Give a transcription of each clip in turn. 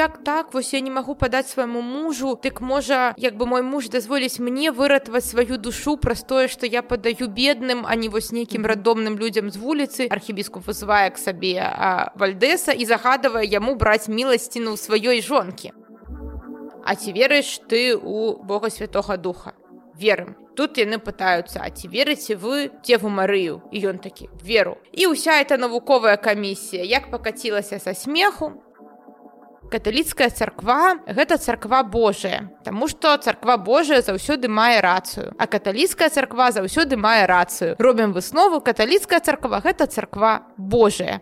як так, вось я не магу падаць свайму мужу, дык можа, як бы мой муж дазволіць мне выратаваць сваю душу праз тое, што я падаю бедным, а не вось нейкім рандомным людзям з вуліцы. Архібіскуп вызывае к сабе Вальдэса і загадывае яму браць міласціну ў сваёй жонкі. А ці верыш ты ў Бога Святога Духа? Верым. Тут яны пытаюцца, а ці верыце вы Деву Марыю? І ён такі: веру. І ўся эта навуковая камісія як пакацілася са смеху. Каталіцкая царква – гэта царква Божая, таму што царква Божая заўсёды мае рацыю, а каталіцкая царква заўсёды мае рацыю. Робім выснову, каталіцкая царква – гэта царква Божая.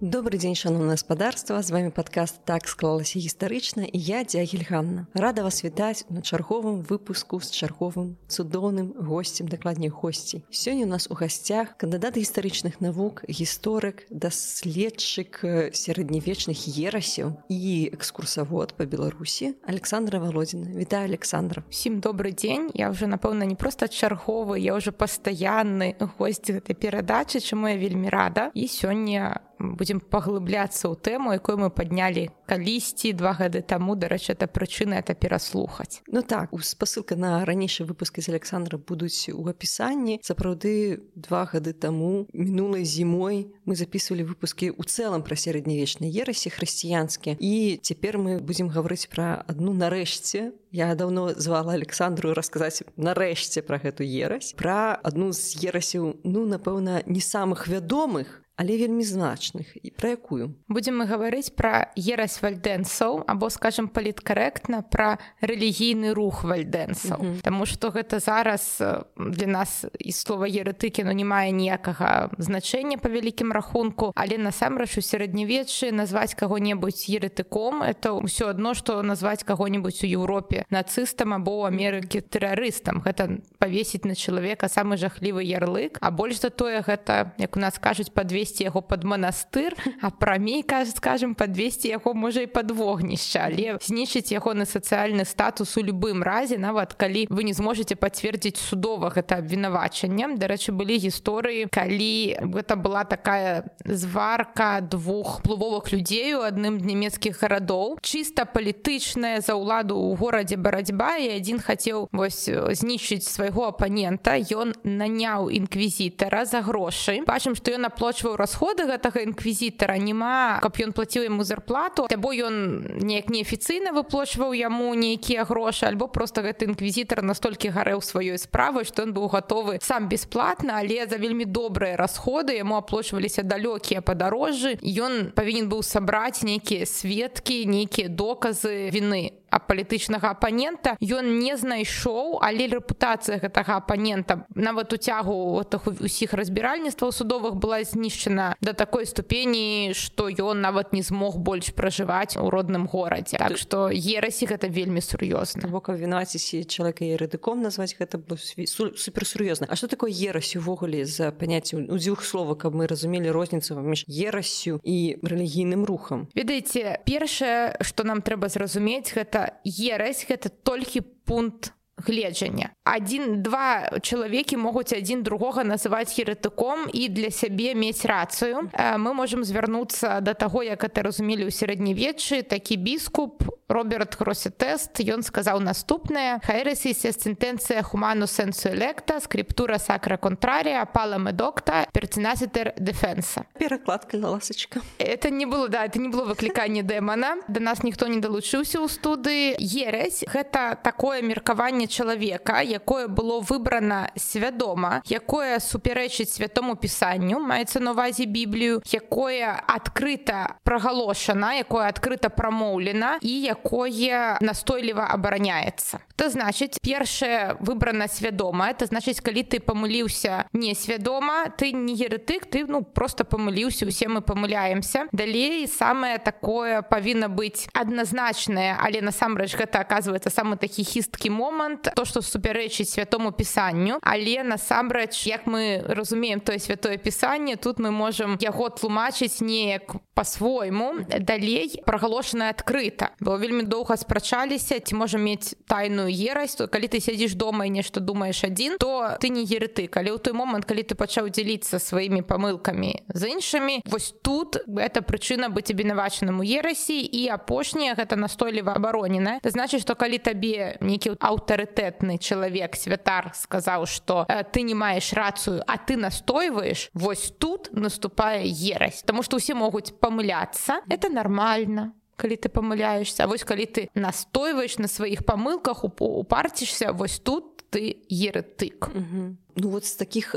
Добрый дзень, шановное гаспадарства, з вами падкаст «Так склалася гістарычна» і я, Дзягіль Ганна. Рада вас вітаць на чарговым выпуску з чарговым цудоўным госцем, дакладней госцей. Сёння у нас у гасцях кандыдат гістарычных навук, гісторык, даследчык сярэднявечных ерасяў і экскурсавод па Беларусі Александра Володина. Вітаю, Александра. Всім добрый дзень. Я ўжо, напэўна, не проста чарговы, я ўжо пастаянны госць гэтай перадачы, чаму я вельмі рада. І сёння будзем паглыбляцца ў тэму, якую мы паднялі калісьці 2 гады таму. Дарэчы, это прычына это пераслухаць. Ну так, спасылка на ранейшыя выпускі з Александра будуць у апісанні. Сапраўды 2 гады таму, мінулай зімой, мы записывалі выпускі ў цэлым пра сярэднявечныя ерасі хрысціянскія. І цяпер мы будзем гаварыць пра адну нарэшце. Я даўно звала Александру расказаць нарэшце пра гэту ерась. Пра адну з ерасяў, напэўна, не самых вядомых, але вельмі значных. І пра якую? Будзем мы гаварыць пра ерась вальдэнцаў, або, скажам паліткарэктна, пра рэлігійны рух вальдэнцаў. Таму што гэта зараз для нас і слова еретыкі не мае ніякага значэння па вялікім рахунку, але насамрэч у сярэднявеччы назваць каго-небудзь еретыком это ўсё адно, што назваць каго-небудзь у Еўропе нацыстам або ў Амерыкі тэрарыстам. Гэта павесіць на чалавека самы жахлівы ярлык, а больш за тое гэта, як у нас кажуць, падвесці яго пад манастыр, а прамей, скажем, падвесці яго можа і пад вогнішча, але знішчыць ягоны сацыяльны статус у любым разе, нават калі вы не зможаце пацвердзіць судова гэта абвінавачанне. Дарэчы, былі гісторыі, калі гэта была такая зварка 2 уплывовых людзей у адным з нямецкіх гарадоў, чыста палітычная за ўладу ў горадзе барацьба, і адзін хацеў знішчыць свайго апанента. Ён наняў інквізітара за грошы. Бачым, што ён аплачваў расходы гэтага інквізітара, няма, каб ён плаціў яму зарплату, або ён неяк неафіцыйна выплачваў яму нейкія грошы, альбо проста гэты інквізітар настолькі гарэў сваёй справай, што ён быў гатовы сам бясплатна, але за вельмі добрыя расходы яму аплачваліся далёкія падарожжы. Ён павінен быў сабраць нейкія сведкі, нейкія доказы віны палітычнага апанента. Ён не знайшоў, але рэпутацыя гэтага апанента нават у цягу усіх разбіральніцтваў судовых была знішчана да такой ступені, што ён нават не змог больш пражываць у родным горадзе. Так што ерасі гэта вельмі сур'ёзна. Бо каб вінаваціць чалавека еретыком назваць, гэта было суперсур'ёзна. А што такое ерась увогуле за паняцце ў 2 словах, каб мы разумелі розніцу паміж ерасю і рэлігійным рухам? Ведаеце, першае, што нам трэба зразумець, гэта ерась, гэта толькі пункт гледжання. 1-2 чалавекі могуць адзін другога называць еретыком і для сябе мець рацыю. Мы можам звярнуцца да таго, як это разумелі ў сярэднявеччы. Такі біскуп Роберт Гросетест, ён сказаў наступнае: «Хаересис est sententia humanus sensu electa, scriptura sacra contraria, pala medocta, pertinaciter defensa». Перакладка, ласачка. Это не было выкліканне дэмана. Да нас ніхто не далучыўся ў студыі. Ересь – гэта такое меркаванне чалавека, якое было выбрана свядома, якое супярэчыць святому пісанню, маецца на ўвазе Біблію, якое адкрыта прагалошана, якое адкрыта прамоўлена і якое настойліва абараняецца. Это значыць, першае выбрана свядома, это значыць, калі ты памыліўся несвядома, ты не еретык, ты просто памыліўся, усе мы памыляемся. Далей самае такое павінна быць адназначнае, але насамрэч гэта аказваецца самы такі хісткі момант, то, што супярэчыць святому пісанню, але насамрэч, як мы разумеем тое святое пісанне, тут мы можам яго тлумачыць неяк па-свойму. Далей прагалошана адкрыта. Было вельмі доўга спрачаліся, ці можа мець тайную ерась. Калі ты сядзіш дома і нешта думаеш адзін, то ты не еретык. Але ў той момант, калі ты пачаў дзяліцца сваімі памылкамі з іншымі, вось тут гэта прычына быць абвінавачаным у ерасі, і апошняе гэта настойліва абаронена. Это значыць, што калі табе нейкі аўтарытэтны чалавек, святар, сказаў, што ты не маеш рацыю, а ты настойваеш, вось тут наступае ерась. Таму што ўсе могуць памыляцца. Это нормально, калі ты памыляешься. А вось калі ты настойваеш на сваіх памылках, упарцішся, вось тут ты еретык. Ну вот з такіх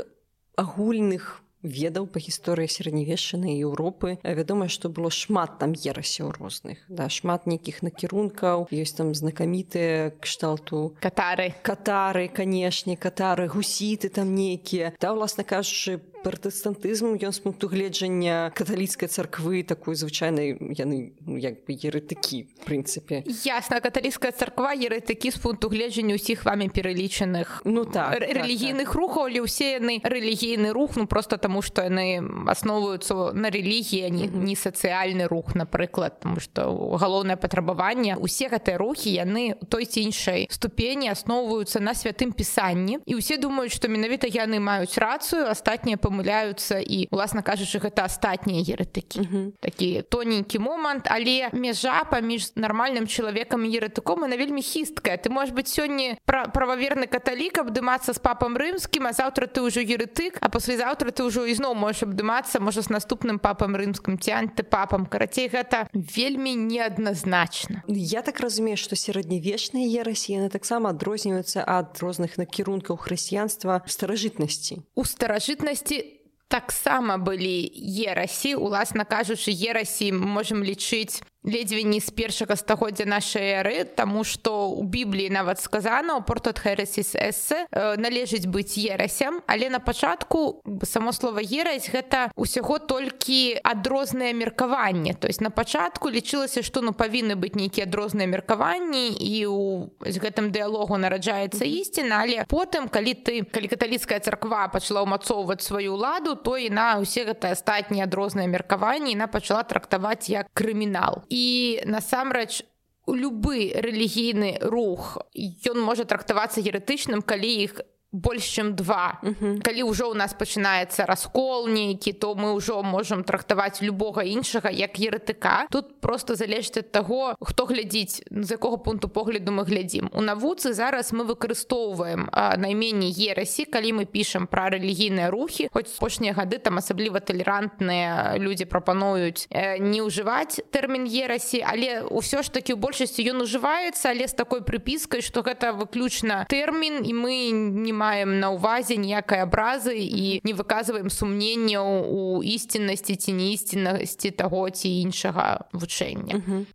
агульных ведаў па гісторыі сярэднявеччанай Еўропы вядома, што было шмат там ерасяў розных, да, шмат нейкіх накірункаў, ёсць там знакамітыя кшталту катары, канешне, катары, гусіты там нейкія. Да, уласна кажучы, пратэстантызм, ён з пункту гледжання каталіцкай царквы такой звычайнай, яны як бы еретыкі, в прынцыпе. Ясна, каталіцкая царква еретыкі з пункту гледжання ўсіх вамі пералічаных рэлігійных рухаў, але ўсе яны рэлігійны рух, ну просто таму, што яны асноўваюцца на рэлігіі, а не сацыяльны рух, напрыклад, таму што галоўнае патрабаванне. Усе гэтыя рухі, яны у той ці іншай ступені асноўваюцца на святым пісанні, і ўсе думаюць, што менавіта яны маюць рацыю, астатнія памыляюцца, і, уласна кажучы, гэта астатнія еретыкі. Такі тоненькі момант, але мяжа паміж нармальным чалавекам і еретыком, яна вельмі хісткая. Ты можаш быць сёння прававерны каталік, абдымацца з папам рымскім, а заўтра ты ўжо еретык, а паслязаўтра ты ўжо ізноў можаш абдымацца, можа, з наступным папам рымскім ці антыпапам. Карацей, гэта вельмі неадназначна. Я так разумею, што сярэднявечныя ерасі, яны таксама адрозніваюцца ад розных накірункаў хрысціянства ў старажытнасці. У старажытнасці таксама былі ерасі. Уласна кажучы, ерасі можам лічыць ледзьве не з першага стагоддзя нашай эры, таму што ў Бібліі нават сказана, у Porto Heresis Esse належыць быць ерасям, але на пачатку само слова ерась гэта ўсяго толькі адрозныя меркаванні. То есть на пачатку лічылася, што павінны быць нейкія адрозныя меркаванні, і з гэтым дыялогу нараджаецца ісціна, але потым, калі каталіцкая царква пачала ўмацоўваць сваю ўладу, то і на ўсе гэтыя астатнія адрозныя меркаванні яна пачала трактаваць як крымінал. І насамрэч любы рэлігійны рух, ён можа трактавацца еретычным, калі іх больш чым два. Калі ўжо ў нас пачынаецца раскол нейкі, то мы ўжо можам трактаваць любога іншага як еретыка. Тут просто залежыць ад таго, хто глядзіць, з якога пункту погляду мы глядзім. У навуцы зараз мы выкарыстоўваем найменне ерасі, калі мы пішам пра рэлігійныя рухі, хоць апошнія гады там асабліва талерантныя людзі прапануюць не ўжываць тэрмін ерасі, але ўсё ж такі ў большасці ён ужываецца, але з такой прыпіскай, што гэта выключна тэрмін, і мы не маем на ўвазе ніякай абразы і не выказваем сумненняў у ісціннасці ці неісціннасці таго ці іншага вучэння.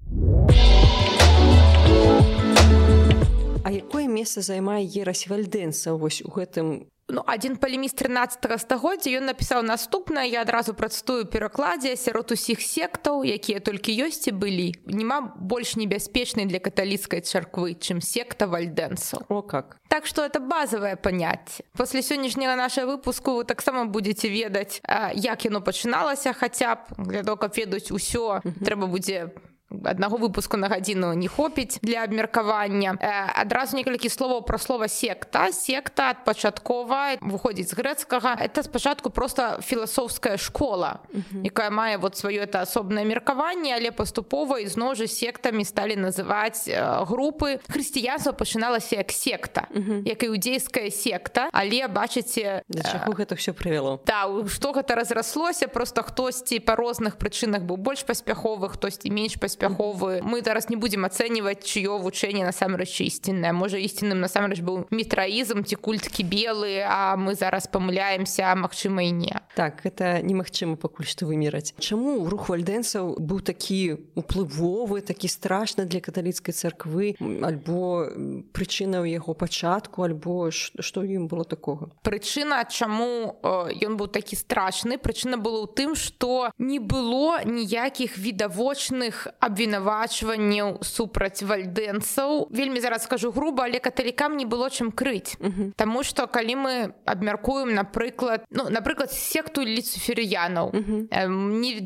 А якое месца займае ерась вальдэнцаў вось у гэтым? Адзін палеміст 13 стагоддзя, ён напісаў наступнае, я адразу працтую перакладзе: сярод усіх сектаў, якія толькі ёсць і былі, няма больш небяспечнай для каталіцкай царквы, чым секта вальдэнцаў. О, как! Так што это базавае паняцце. Пасля сённяшняга нашага выпуску вы таксама будзеце ведаць, як яно пачыналася, хаця б для того, каб ведаць усё, трэба будзе аднаго выпуску на гадзіну не хопіць для абмеркавання. Адразу некалькі словаў пра слова секта. Секта адпачаткова выходзіць з грэцкага. Это спачатку проста філасофская школа, якая мае сваё асобнае меркаванне, але паступова ізноў жа сектамі сталі называць групы. Хрысціянства пачыналася як секта, як іудзейская секта, але бачыце, да чаго гэта ўсё прывяло. Да, што гэта разраслося, проста хтосьці па розных прычынах быў больш паспяховы, хтосьці менш паспяховы. Мы зараз не будзем ацэньваць, чыё вучэнне насамрэч ісціннае. Можа, ісцінным насамрэч быў мітраізм ці культ кібелы, а мы зараз памыляемся, а магчыма і не. Так, гэта немагчыма пакуль што вымераць. Чаму рух вальдэнцаў быў такі уплывовы, такі страшны для каталіцкай царквы, альбо прычына ў яго пачатку, альбо што ў ім было такога? Прычына, чаму ён быў такі страшны, прычына была ў тым, што не было ніякіх відавочных абвінавачванняў супраць вальдэнцаў. Вельмі зараз скажу груба, але каталікам не было чым крыць. Таму што калі мы абмяркуем, напрыклад, секту люциферыянаў.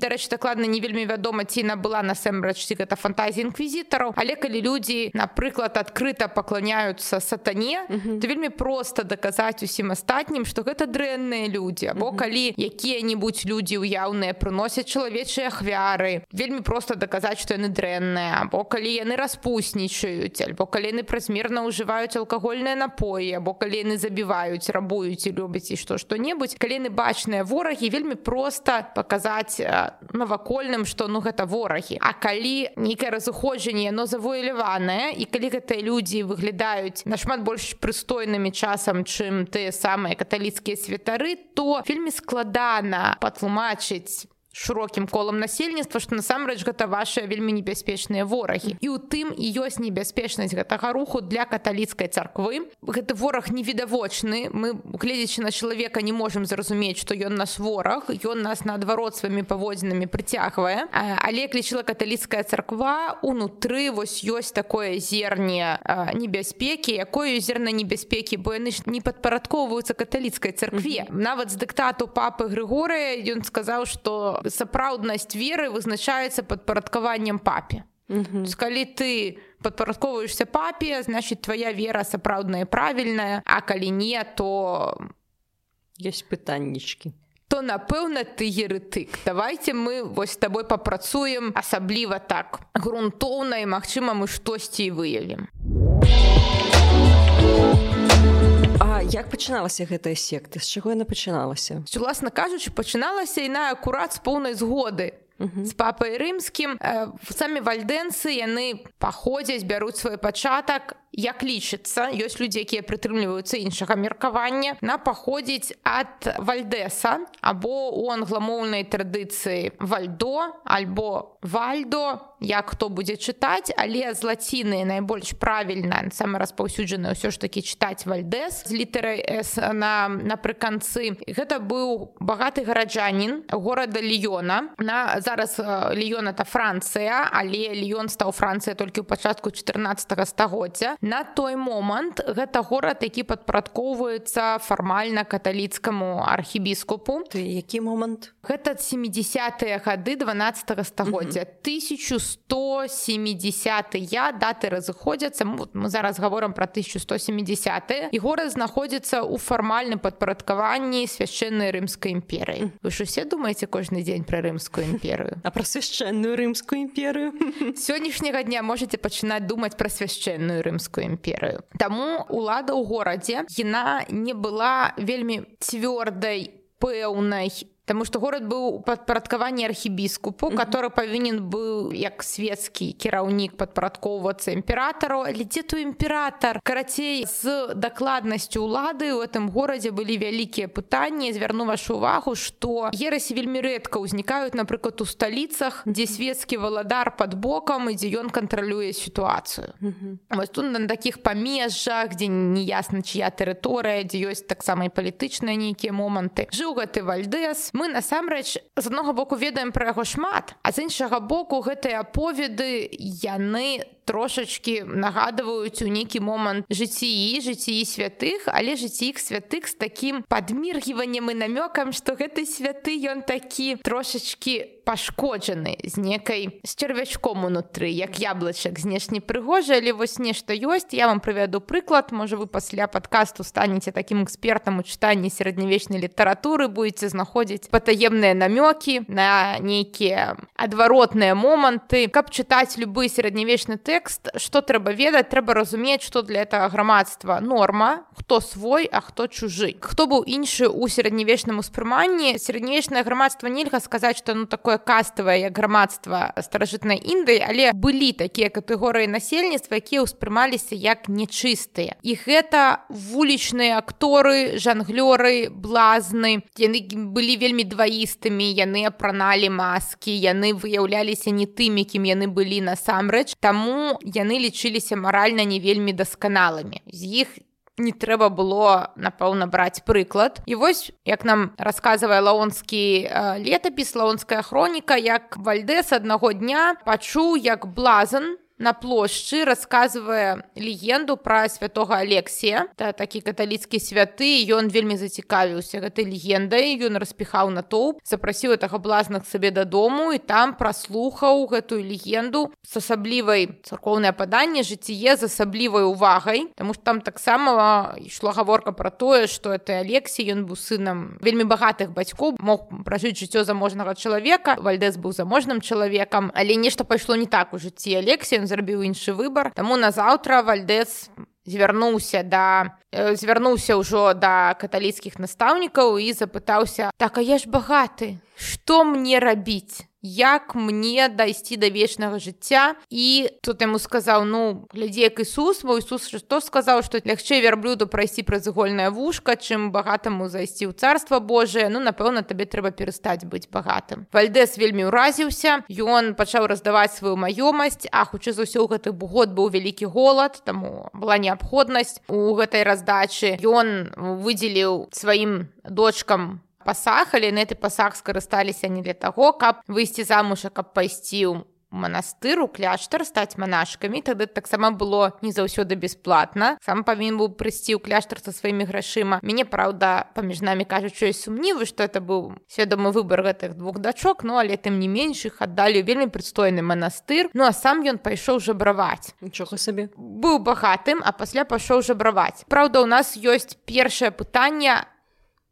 Дарэчы, дакладна не вельмі вядома, ці набыла насамрэч, ці гэта фантазія інквізітараў, але калі людзі, напрыклад, адкрыта пакланяюцца сатане, то вельмі проста даказаць усім астатнім, што гэта дрэнныя людзі, або калі якія-небудзь людзі ўяўныя прыносяць чалавечыя ахвяры, вельмі проста даказаць, што яны дрэнныя, або калі яны распуснічаюць, альбо калі яны празмерна ўжываюць алкагольныя напоі, або калі яны забіваюць, рабуюць і любяць і што-небудзь, калі яны бачныя ворагі, вельмі проста паказаць навакольным, што гэта ворагі. А калі нейкае разыходжанне, яно завуаляванае, і калі гэтыя людзі выглядаюць нашмат больш прыстойнымі часам, чым тыя самыя каталіцкія святары, то вельмі складана патлумачыць шырокім колам насельніцтва, што насамрэч гэта вашыя вельмі небяспечныя ворагі. І ў тым і ёсць небяспечнасць гэтага руху для каталіцкай царквы. Гэты вораг невідавочны. Мы, гледзячы на чалавека, не можам зразумець, што ён наш вораг. Ён нас, наадварот, сваімі паводзінамі прыцягвае. Але, як лічыла каталіцкая царква, унутры ёсць такое зерне небяспекі. Якое зерне небяспекі? Бо яны ж не падпарадкоўваюцца каталіцкай царкве. Нават з дыктату папы Грыгорыя ён сказаў, што сапраўднасць веры вызначаецца падпарадкаваннем папе. Калі ты падпарадковваешся папе, значыць, твая вера сапраўдная і правільная, а калі не, то ёсць пытаннічкі. То, напэўна, ты еретык. Давайте мы з табой папрацуем асабліва так грунтоўна, і, магчыма, мы штосьці і выявім. А як пачыналася гэтая секта? З чаго яна пачыналася? Уласна кажучы, пачыналася яна акурат з поўнай згоды з папай рымскім. Самі вальдэнцы, яны паходзяць, бяруць свой пачатак, як лічыцца, ёсць людзі, якія прытрымліваюцца іншага меркавання, на паходзіць ад вальдэса, або ў англамоўнай традыцыі вальдо, альбо вальдо, як хто будзе чытаць, але з лаціны найбольш правільна, самы распаўсюджаны ўсё ж такі чытаць вальдэс з літарай «С» напрыканцы. Гэта быў багаты гараджанін горада Ліёна. Зараз Ліён — это Францыя, але Ліён стаў Францыя толькі ў пачатку 14 стагоддзя. На той момант гэта горад, які падпарадкоўваецца фармальна каталіцкаму архібіскупу. Які момант? Гэта 70-е гады 12 стагоддзя. 1170-е даты разыходзяцца. Мы зараз гаворым пра 1170-е. І горад знаходзіцца ў фармальным падпарадкаванні свяшчэннай рымскай імперыі. Вы ж усе думаеце кожны дзень пра рымскую імперыю? А пра свяшчэнную рымскую імперыю? Сённяшняга дня можаце пачынаць думаць пра свяшчэнную рымскую імперыю. Таму улада ў горадзе, яна не была вельмі цвёрдай, пэўнай, таму што горад быў у падпарадкаванні архібіскупу, который павінен быў як свецкі кіраўнік падпарадкоўвацца імператару. Але дзе той імператар? Карацей, з дакладнасцю улады ў гэтым горадзе былі вялікія пытанні. Звярну вашу увагу, што ерасі вельмі рэдка ўзнікаюць, напрыклад, у сталіцах, дзе свецкі валадар пад бокам і дзе ён кантралюе сітуацыю. Вось тут на такіх памежжах, дзе неясна чыя тэрыторыя, дзе ёсць таксама і палітычныя нейкія моманты, жыў гэты вальдэс. Мы, насамрэч, з аднаго боку ведаем пра яго шмат, а з іншага боку гэтыя аповеды, яны трошачкі нагадваюць у нейкі момант жыцці святых, але жыцці іх святых з такім падміргіваннем і намёкам, што гэты святы, ён такі трошачкі пашкоджаны, з чэрвячком унутры, як яблычак, знешне прыгожы, але вось нешта ёсць. Я вам прывяду прыклад, можа вы пасля падкасту станеце такім экспертам у чытанні сярэднявечнай літаратуры, будзеце знаходзіць патаемныя намёкі на нейкія адваротныя моманты. Каб чытаць любы сярэднявечны тэкст, што трэба ведаць? Трэба разумець, што для гэтага грамадства норма, хто свой, а хто чужы. Хто быў іншы ў сярэднявечным успрыманні? Сярэднявечнае грамадства нельга сказаць, што такое каставае, як грамадства старажытнай Індыі, але былі такія катэгорыі насельніцтва, якія ўспрымаліся як нечыстыя. І гэта вулічныя акторы, жанглёры, блазны. Яны былі вельмі дваістымі, яны апраналі маскі, яны выяўляліся не тымі, кім яны былі насамрэч, таму яны лічыліся маральна не вельмі дасканалымі. З іх не трэба было, напэўна, браць прыклад. І вось, як нам расказвае лаонскі летапіс, лаонская хроніка, як Вальдэс аднаго дня пачуў, як блазан на плошчы расказвае легенду пра святога Алексія. Это такі каталіцкі святы, ён вельмі зацікавіўся гэтай легендай, ён распіхаў натоўп, запрасіў гэтага блазна к сабе дадому і там праслухаў гэтую легенду з асаблівай царкоўнае паданне, жыцціе з асаблівай увагай, таму што там таксама ішла гаворка пра тое, што это Алексій, ён быў сынам вельмі багатых бацькоў, мог пражыць жыццё заможнага чалавека. Вальдэс быў заможным чалавекам, але нешта пайшло не так у жыцці Алексія, зрабіў іншы выбар. Таму назаўтра Вальдэс звярнуўся ўжо да каталіцкіх настаўнікаў і запытаўся: так, а я ж багаты, што мне рабіць? Як мне дайсці да вечнага жыцця? І тут яму сказаў: ну, глядзі, як Ісус, бо Ісус што сказаў, што лягчэй вярблюду прайсці праз игольнае вушка, чым багатаму зайсці ў царства Божие. Ну, напэўна, табе трэба перастаць быць багатым. Вальдэс вельмі ўразіўся, ён пачаў раздаваць сваю маёмасць, а хутчэй за ўсё ў гэты год быў вялікі голад, таму была неабходнасць у гэтай раздачы. Ён выдзеліў сваім дочкам пасаг, але на гэты пасаг скарысталіся не для таго, каб выйсці замуж, а каб пайсці ў манастыр, у кляштар, стаць манашкамі. Тады таксама было не заўсёды бясплатна. Сам павінен быў прыйсці ў кляштар са сваімі грашыма. Мяне, праўда, паміж намі кажучы, ёсць сумнівы, што это быў свядомы выбар гэтых двух дачок, ну, але тым не менш іх аддалі вельмі прыстойны манастыр. Ну, а сам ён пайшоў жабраваць. Нічога сабе. Быў багатым, а пасля пайшоў жабраваць. Праўда, у нас ёсць першае пытанне: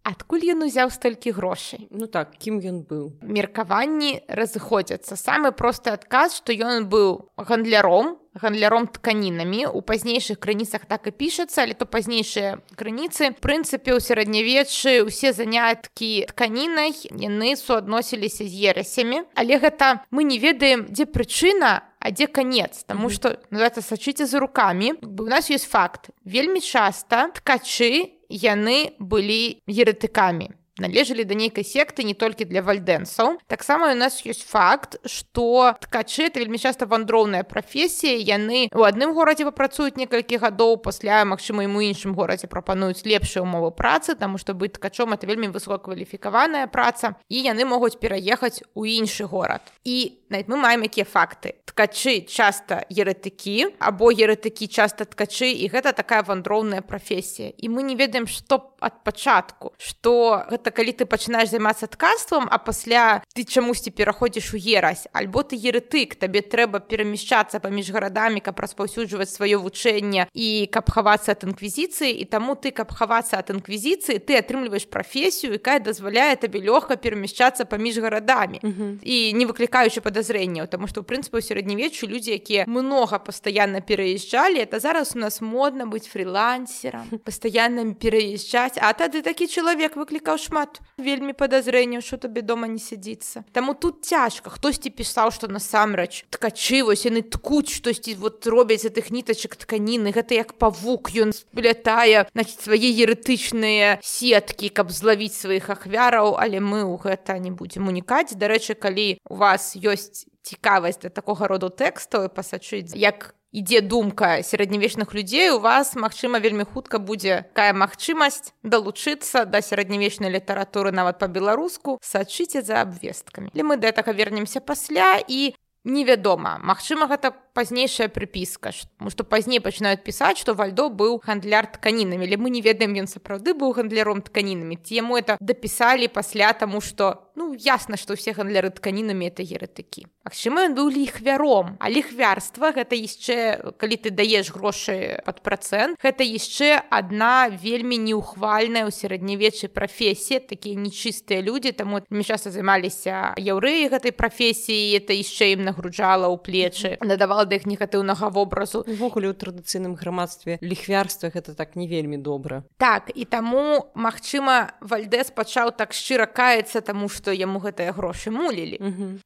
адкуль ён узяў столькі грошай? Ну так, кім ён быў? Меркаванні разыходзяцца. Самы просты адказ, што ён быў гандляром тканінамі. У пазнейшых крыніцах так і пішацца, але то пазнейшыя крыніцы. В прынцыпе, у сярэднявеччы ўсе заняткі тканінай, яны суадносіліся з ерасямі. Але гэта мы не ведаем, дзе прычына, а дзе канец, таму што называецца сачыце за рукамі. У нас ёсць факт. Вельмі часта ткачы яны былі еретыкамі, належалі да нейкай секты не толькі для вальдэнсаў. Таксама у нас ёсць факт, што ткачы — это вельмі часта вандроўная прафесія, яны ў адным горадзе папрацуюць некалькі гадоў, пасля, магчыма, ім у іншым горадзе прапануюць лепшыя ўмовы працы, таму што быць ткачом — это вельмі высокакваліфікаваная праца, і яны могуць пераехаць у іншы горад. І нават мы маем якія факты. Ткачы часта еретыкі, або еретыкі часта ткачы, і гэта такая вандроўная прафесія. І мы не ведаем, што ад пачатку, што гэта калі ты пачынаеш займацца ткацтвам, а пасля ты чамусьці пераходзіш у ерась, альбо ты еретык, табе трэба перамяшчацца паміж гарадамі, каб распаўсюджваць сваё вучэнне і каб хавацца ад інквізіцыі, і таму ты, каб хавацца ад інквізіцыі, ты атрымліваеш прафесію, якая дазваляе табе лёгка перамяшчацца паміж гарадамі. І не выклікаючы падазрэнняў, таму што, ў прынцыпе, у сярэднявеччы людзі, якія многа пастаянна пераязджалі, это зараз у нас модна быць фрілансерам, пастаянна пераязджаць, а тады такі чалавек выклікаў шмат вельмі падазрэнняў, што табе дома не сядзіцца. Таму тут цяжка. Хтосьці пісаў, што насамрэч ткачы, вось яны ткуць штосьці, вот робяць з гэтых нітачак тканіны, гэта як павук, ён сплятае, значит, свае еретычныя сеткі, каб злавіць сваіх ахвяраў, але мы ў гэта не будзем унікаць. Дарэчы, калі у вас ёсць цікавасць да такога роду тэкстаў і пасачыць, як ідзе думка сярэднявечных людзей, у вас, магчыма, вельмі хутка будзе такая магчымасць далучыцца да сярэднявечнай літаратуры нават па-беларуску. Сачыце за абвесткамі. Але мы да гэтага вернемся пасля, і невядома, магчыма, гэта пазнейшая прыпіска, тому што пазней пачынаюць пісаць, што Вальдо быў гандляр тканінамі, але мы не ведаем, ён сапраўды быў гандляром тканінамі, ці яму это дапісалі пасля, таму што, ну, ясна, што ўсе гандляры тканінамі — это еретыкі. Магчыма, ён быў ліхвяром, а ліхвярства — гэта яшчэ, калі ты даеш грошы пад працэнт, гэта яшчэ адна вельмі неухвальная ў сярэднявеччы прафесія, такія нечыстыя людзі, таму мы часта займаліся яўрэі гэтай прафесіі, это яшчэ ім нагруджала ў плечы, надавала да іх негатыўнага вобразу. Увогуле ў традыцыйным грамадстве ліхвярства гэта так не вельмі добра. Так, і таму, магчыма, Вальдэс пачаў так шчыра каяцца, таму што яму гэтыя грошы мулілі.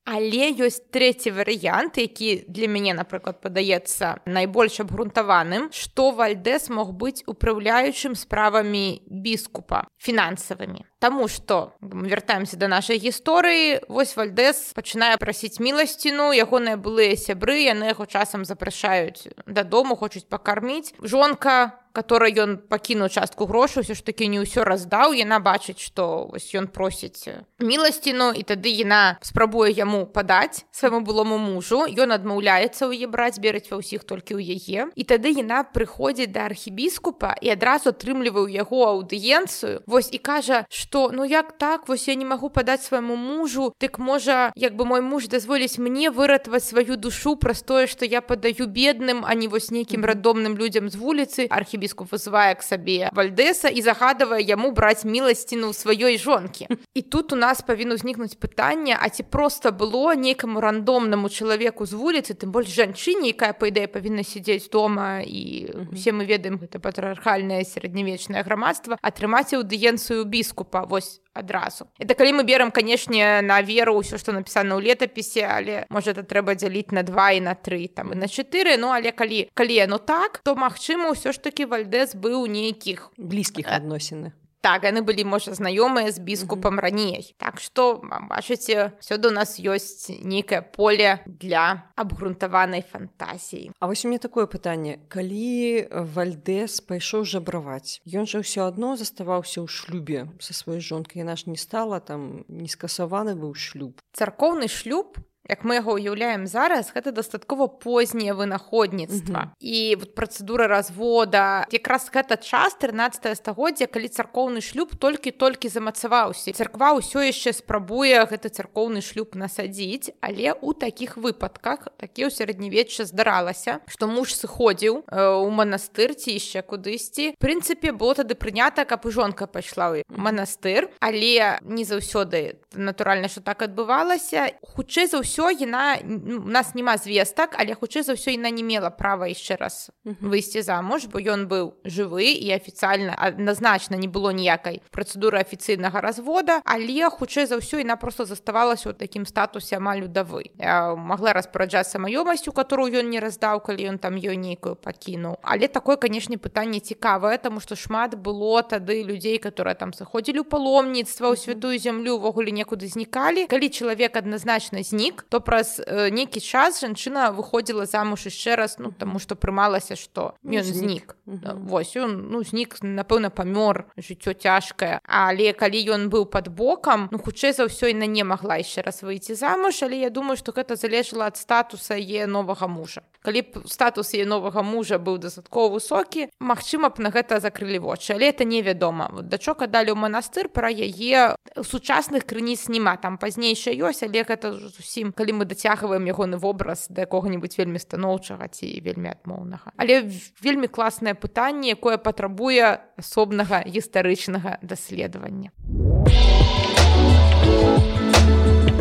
Але ёсць трэці варыянт, які для мяне, напрыклад, падаецца найбольш абгрунтаваным, што Вальдэс мог быць упраўляючым справамі біскупа, фінансавымі. Таму што мы вяртаемся да нашай гісторыі, вось Вальдэс пачынае прасіць міласціну, ягоныя былыя сябры, яны яго часам запрашаюць дадому, хочуць пакарміць. Жонка, которой ён пакінуў частку грошаў, усё ж такі не ўсё раздаў, яна бачыць, што вось ён просіць міласціну, і тады яна спрабуе яму падаць свайму былому мужу, ён адмаўляецца ў яе браць, берыць ва ўсіх толькі ў яе, і тады яна прыходзіць да архібіскупа і адразу атрымлівае ў яго аўдыенцыю, вось, і кажа, што ну як так, вось я не магу падаць свайму мужу, дык можа, як бы мой муж дазволіць мне выратаваць сваю душу праз тое, што я падаю бедным, а не вось нейкім рандомным людзям з вуліцы. Архібіскуп вызывае к сабе Вальдэса і загадвае яму браць міласціну сваёй жонкі. І тут у нас павінна ўзнікнуць пытанне, а ці проста было нейкаму рандомнаму чалавеку з вуліцы, тым больш жанчыне, якая, па ідэі, павінна сядзець дома, і усе мы ведаем, гэта патрыархальнае сярэднявечнае грамадства, атрымаць аўдыенцыю біскупа, вось, адразу. Это калі мы берем, канешне, на веру ўсё, што напісана ў летапісе, але, можа, это трэба дзяліць на 2 і на 3, там, і на 4, ну, але калі яно так, то, магчыма, ўсё ж такі Вальдэс быў у нейкіх блізкіх адносінах. Так, яны былі, можа, знаёмыя з біскупам раней. Так што, бачыце, сёння у нас ёсць нейкае поле для абгрунтаванай фантазіі. А вось у мяне такое пытанне. Калі Вальдэс пайшоў жабраваць, ён жа ўсё адно заставаўся ў шлюбе са сваёй жонкай. Яна ж не стала там, не скасаваны быў шлюб. Царкоўны шлюб, як мы яго ўяўляем зараз, гэта дастаткова познее вынаходніцтва. І вот працэдура развода, якраз гэта час 13 стагоддзя, калі царкоўны шлюб толькі-толькі замацаваўся. Царква ўсё яшчэ спрабуе гэты царкоўны шлюб насадзіць, але ў такіх выпадках, такі ў сярэднявечча здаралася, што муж сыходзіў у манастыр ці яшчэ кудысьці. В прынцыпе, было тады прынята, каб і жонка пайшла ў манастыр, але не заўсёды, натуральна, што так адбывалася. Хутчэй за ўсё, яна, у нас няма звестак, але хутчэй за ўсё яна не мела права яшчэ раз выйсці замуж, бо ён быў жывы і афіцыйна, адназначна не было ніякай працэдуры афіцыйнага развода, але хутчэй за ўсё яна проста заставалася ў такім статусе амаль удавы. Магла распараджацца маёмасцю, которую ён не раздаў, калі ён там ёй нейкую пакінуў. Але такое, канешне, пытанне цікавае, таму што шмат было тады людзей, которые там сыходзілі ў паломніцтва, ў святую зямлю, увогуле некуды знікалі. Калі чалавек адназначна знік, то праз нейкі час жанчына выходзіла замуж яшчэ раз, ну, таму што прымалася, што ён знік. Вось, ён, ну, знік, напэўна, памёр, жыццё цяжкае. Але калі ён быў пад бокам, ну, хутчэй за ўсё яна не магла яшчэ раз выйти замуж, але я думаю, што гэта залежала ад статуса яе новага мужа. Калі б статус яе новага мужа быў дастаткова высокі, магчыма б на гэта закрылі вочы, але это невядома. Вот дачок аддалі ў манастыр, пра яе сучасных крыніц няма, там пазнейшая ёсць, але гэта зусім, калі мы дацягваем ягоны вобраз да якога-небудзь вельмі станоўчага ці вельмі адмоўнага. Але вельмі класнае пытанне, якое патрабуе асобнага гістарычнага даследавання.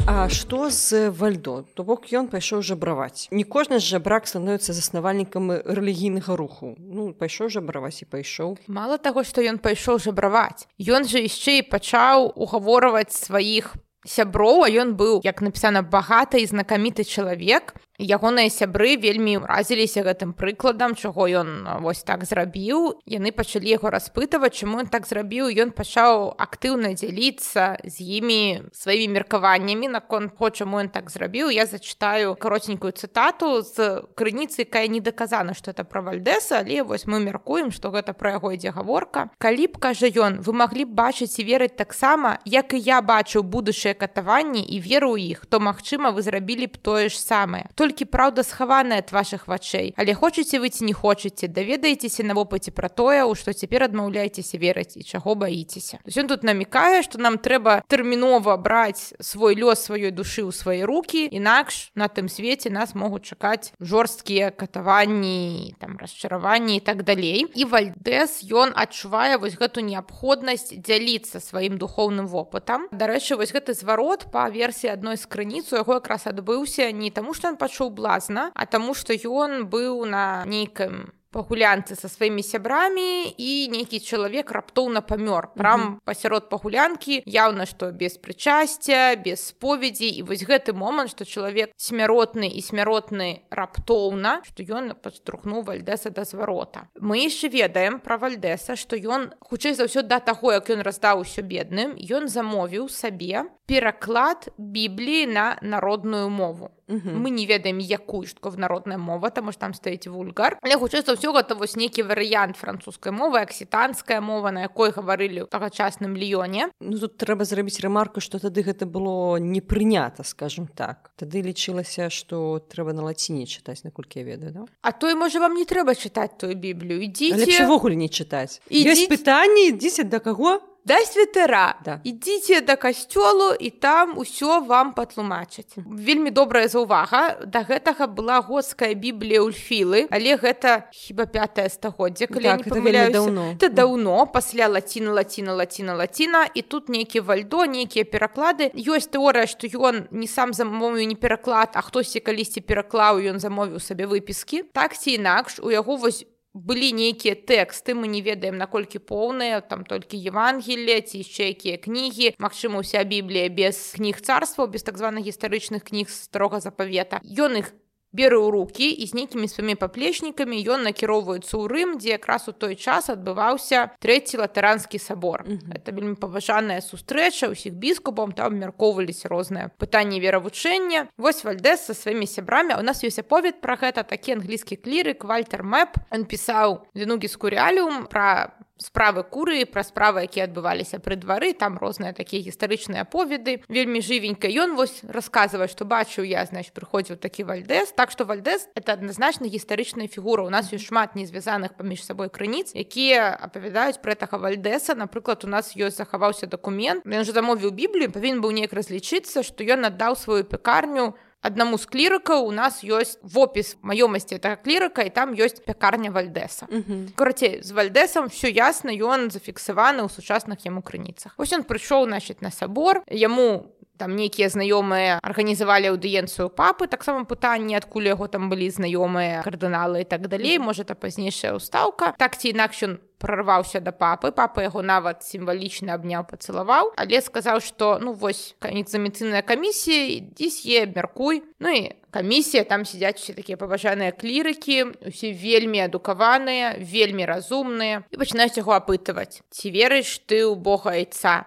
А што з Вальдо? То бок ён пайшоў жабраваць. Не кожны з жабрак становіцца заснавальнікам рэлігійнага руху. Ну, пайшоў жабраваць і пайшоў. Мала таго, што ён пайшоў жабраваць, ён жа яшчэ і пачаў угаворваць сваіх сяброў, а ён быў, як напісана, багаты і знакаміты чалавек. Ягоныя сябры вельмі ўразіліся гэтым прыкладам, чаго ён вось так зрабіў. Яны пачалі яго распытаваць, чаму ён так зрабіў. Ён пачаў актыўна дзяліцца з імі сваімі меркаваннямі наконт таго, чаму ён так зрабіў. Я зачытаю каротенькую цытату з крыніцы, якая не даказана, што это пра Вальдэса, але вось мы мяркуем, што гэта пра яго ідзе гаворка. Калі б, кажа ён, вы маглі б бачыць і верыць таксама, як і я бачыў будучыя катаванні і веру ў іх, то, магчыма, вы зрабілі б тое ж самае. Толькі праўда схаваная ад вашых вачэй. Але хочаце вы ці не хочаце, даведаецеся на вопыце пра тое, у што цяпер адмаўляецеся верыць і чаго баіцеся. То есть ён тут намікае, што нам трэба тэрмінова браць свой лёс сваёй душы ў свае рукі, інакш на тым свеце нас могуць чакаць жорсткія катаванні, там, расчараванні і так далей. І Вальдэс, ён адчувае вось гэту неабходнасць дзяліцца сваім духоўным вопытам. Дарэчы, вось гэты зварот па версіі адной з крыніц у яго якраз адбыўся не таму, што ён пачуў блазна, а таму, што ён быў на нейкім па гулянцы са сваімі сябрамі, і нейкі чалавек раптоўна памёр. Прям пасярод пагулянкі, яўна, што без прычасця, без споведзі, і вось гэты момант, што чалавек смяротны і смяротны раптоўна, што ён падштурхнуў Вальдэса да зварота. Мы яшчэ ведаем пра Вальдэса, што ён, хутчэй за ўсё, да таго, як ён раздаў усё бедным, ён замовіў сабе пераклад Бібліі на народную мову. Мы не ведаем, якую ж такое народная мова, таму што там стаіць вульгар. Але хутчэй за ўсё, гэта вось нейкі варыянт французскай мовы, аксітанская мова, на якой гаварылі ў тагачасным Ліёне. Ну, тут трэба зрабіць рамарку, што тады гэта было не прынята, скажем так. Тады лічылася, што трэба на лаціне чытаць, наколькі я ведаю, да? А то і, можа, вам не трэба чытаць тую Біблію. Ідзіце... Лепш увогуле не чытаць. Ёсць пытанні, ідзіце да каго? Да святара. Да. Ідзіце да касцёлу, і там усё вам патлумачаць. Вельмі добрая заўвага. Да гэтага была готская Біблія Ульфілы, але гэта хіба 5-е стагоддзе, калі я не памыляюся. Это даўно, пасля лаціна, і тут нейкі Вальдо, нейкія пераклады. Ёсць тэорыя, што ён не сам замовіў не пераклад, а хтосьці калісьці пераклаў, ён замовіў сабе выпіскі. Так ці інакш, у яго вось былі нейкія тэксты, мы не ведаем, наколькі поўныя, там толькі Евангелие, ці яшчэ якія кнігі, магчыма, уся Біблія без кніг царстваў, без так званых гістарычных кніг старога запавета. Ён іх бере ў рукі, і з нейкімі сваімі паплечнікамі ён накіроўваецца ў Рым, дзе якраз у той час адбываўся Трэці латэранскі сабор. Это вельмі паважаная сустрэча ўсіх біскупаў, там абмяркоўваліся розныя пытанні веравучэння. Вось Вальдэс са сваімі сябрамі, у нас ёсць аповед пра гэта, такі англійскі клірык Вальтер Мэп. Ён пісаў Денугіс Куріаліум пра справы курыі, пра справы, якія адбываліся пры двары, там розныя такія гістарычныя аповеды. Вельмі жывенька ён вось расказвае, што бачыў я, значит, прыходзіў такі Вальдэс. Так што Вальдэс — это адназначна гістарычная фігура. У нас ёсць шмат незвязаных паміж сабой крыніц, якія апавядаюць пра гэтага Вальдэса. Напрыклад, у нас ёсць захаваўся дакумент. Ён жа замовіў Біблію, павінен быў неяк разлічыцца, што ён аддаў сваю пекарню аднаму з клірыкаў. У нас ёсць вопіс маёмасці гэтага клірыка, і там ёсць пекарня Вальдэса. Карацей, з Вальдэсам ўсё ясна, ён зафіксаваны ў сучасных яму крыніцах. Вось ён прыйшоў, значит, на сабор, яму там нейкія знаёмыя арганізавалі аўдыенцыю папы, таксама пытанні, адкуль яго там былі знаёмыя кардыналы і так далей, можа, это пазнейшая ўстаўка. Так ці інакш ён прорваўся да папы, папа яго нават сімвалічна абняў, пацалаваў, але сказаў, што, ну, вось, экзаменацыйная камісія, ідзі с'е, абмяркуй. Ну і камісія, там сядзяць усе такія паважаныя клірыкі, усе вельмі адукаваныя, вельмі разумныя, і пачынаюць яго апытваць. Ці верыш ты ў Бога Айца?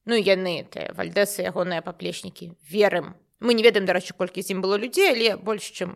Ну, яны, Вальдэс і ягоныя паплечнікі, верым. Мы не ведаем, дарэчы, колькі з ім было людзей, але больш, чым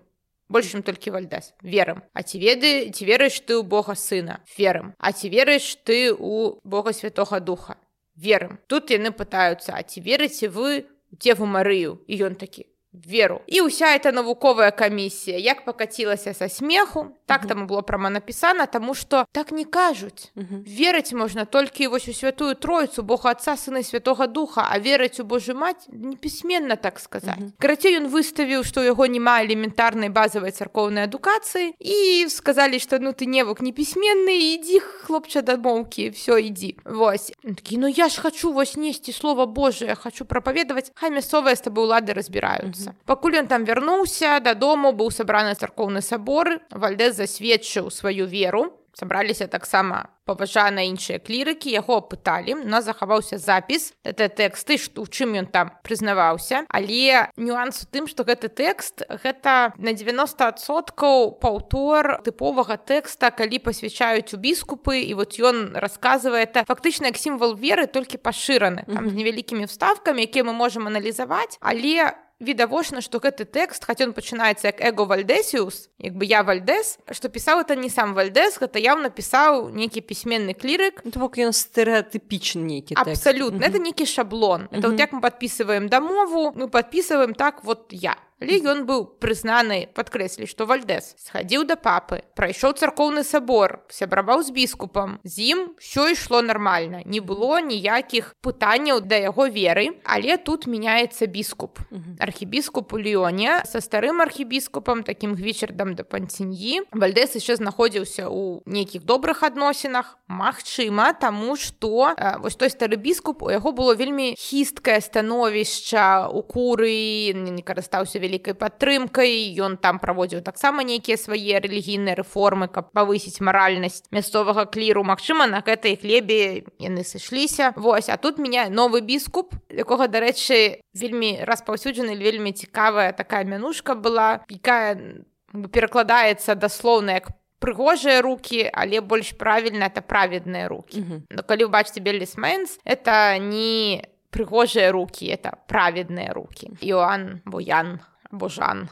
толькі Вальдэс. Верым. А ці верыш ты ў Бога Сына? Верым. А ці верыш ты ў Бога Святога Духа? Верым. Тут яны пытаюцца, а ці верыце вы ў Дзеву Марыю? І ён такі: веру. І ўся эта навуковая камісія як пакацілася са смеху, так там было прама напісана, таму што так не кажуць. Верыць можна толькі вось у Святую Тройцу, Бога Отца, Сына і Святога Духа, а верыць у Божую Маць непісьменна, так сказаць. Карацей, ён выставіў, што ў яго няма элементарнай базавай царкоўнай адукацыі, і сказалі, што ну ты невук непісьменны, ідзі, хлопча, да моўкі, всё, ідзі. Вось. Ён такі: ну я ж хачу вось несці Слова Божие, хачу прапаведаваць, хай мясцовыя з табой улады разбіраюцца. Пакуль ён там вярнуўся дадому, быў сабраны царкоўны сабор, Вальдэс засведчыў сваю веру. Сабраліся таксама паважаныя іншыя клірыкі, яго апыталі. У нас захаваўся запіс, гэта тэксты, у чым ён там прызнаваўся. Але нюанс у тым, што гэты тэкст, гэта на 90% паўтор тыповага тэкста, калі пасвячаюць у біскупы, і вот ён расказвае, это фактычна як сімвал веры, толькі пашыраны. Там з невялікімі вставкамі, якія мы можам аналізаваць, але відавочна, што гэты тэкст, хаця ён пачынаецца як эго Вальдэсіус, як бы я Вальдэс, што пісаў это не сам Вальдэс, гэта яўна пісаў нейкі пісьменны клірык. То бок ён стэрэатыпічны нейкі тэкст. Абсалютна, это нейкі шаблон. Это вот як мы падпісваем дамову, мы падпісваем так вот я. Але ён быў прызнаны, падкрэслі, што Вальдэс схадзіў да папы, прайшоў царкоўны сабор, сябраваў з біскупам, з ім ўсё ішло нармальна, не было ніякіх пытанняў да яго веры, але тут мяняецца біскуп. Архібіскуп у Ліёне са старым архібіскупам, такім Гвічардам де Пантиньі. Вальдэс яшчэ знаходзіўся ў нейкіх добрых адносінах, Магчыма, таму што вось той стары біскуп, у яго было вельмі хісткае становішча ў Курыі, не карыстаўся вялікай падтрымкай, ён там праводзіў таксама нейкія свае рэлігійныя рэформы, каб павысіць маральнасць мясцовага кліру. Магчыма, на гэтай глебе яны сышліся. Вось, а тут мяне новы біскуп, якога, дарэчы, вельмі распаўсюджана, вельмі цікавая такая мянушка была, якая перакладаецца даслоўна як прыгожыя рукі, але больш правільна это праведныя рукі. Но калі вы бачыце Беллис Мэнс, это не прыгожыя рукі, это праведныя рукі. Іоанн, або Ян, або Жан.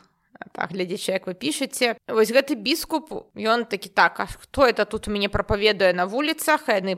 Так, глядзячы, як вы пішаце. Вось гэты біскуп, ён такі так, а хто это тут у мяне прапаведуе на вуліцах? А яны,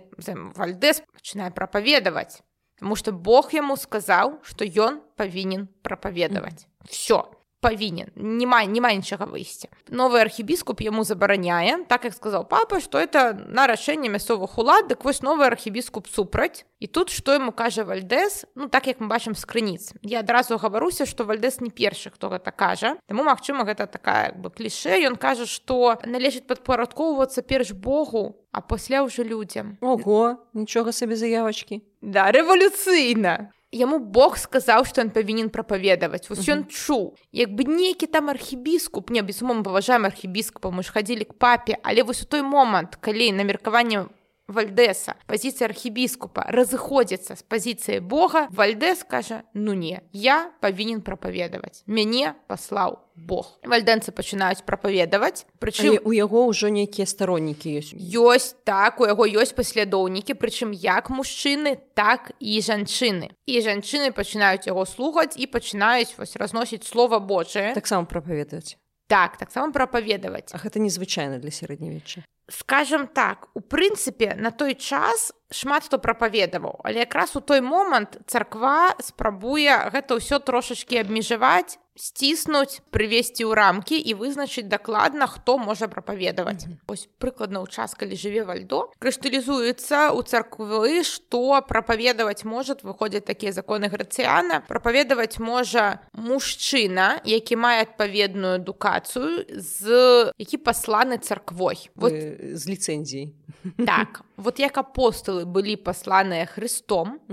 Вальдэс пачынае прапаведаваць. Таму што Бог яму сказаў, што ён павінен прапаведаваць. Всё. Павінен, нема нічага выйсця. Новы архібіскуп яму забараняе, так як сказаў папа, што это на рашэнне мясцовых улад, дык вось новы архібіскуп супраць. І тут што яму кажа Вальдэс, так як мы бачым з крыніц. Я адразу гаваруся, што Вальдэс не першы, хто гэта кажа. Таму, магчыма, гэта такая клішэ. Ён кажа, што належыць падпарадкоўвацца перш Богу, а пасля ўжо людзям. Ого, нічога сабе заявачкі. Да, рэвалюцыйна. Яму Бог сказаў, што ён павінен прапаведаваць. Вось ён чуў. Як бы нейкі там архібіскуп, не, безумоўна, паважаем архібіскупа, мы ж хадзілі к папе, але вось у той момант, калі на меркаванне Вальдэса пазіцыя архібіскупа разыходзіцца з пазіцыяй Бога, Вальдэс кажа, не, я павінен прапаведаваць. Мяне паслаў Бог. Вальдэнцы пачынаюць прапаведаваць. Прычым у яго ўжо нейкія староннікі ёсць. Ёсць, так, у яго ёсць паслядоўнікі, прычым як мужчыны, так і жанчыны. І жанчыны пачынаюць яго слухаць і пачынаюць разносіць слова Божае. Таксама прапаведаваць. Так, таксама прапаведаваць. А гэта незвычайна для сярэднявечча. Скажам так, у прынцыпе, на той час шмат хто прапаведаваў, але якраз у той момант царква спрабуе гэта ўсё трошачкі абмежаваць, сціснуць, прывесці ў рамкі і вызначыць дакладна, хто можа прапаведаваць. Вось прыкладна ў час, калі жыве Вальдо, крышталізуецца ў царквы, што прапаведаваць можа, выходзяць такія законы Грацыяна, прапаведаваць можа мужчына, які мае адпаведную адукацыю, які пасланы царквой. З ліцэнзіяй. Так, вот як апостолы былі пасланыя Христом,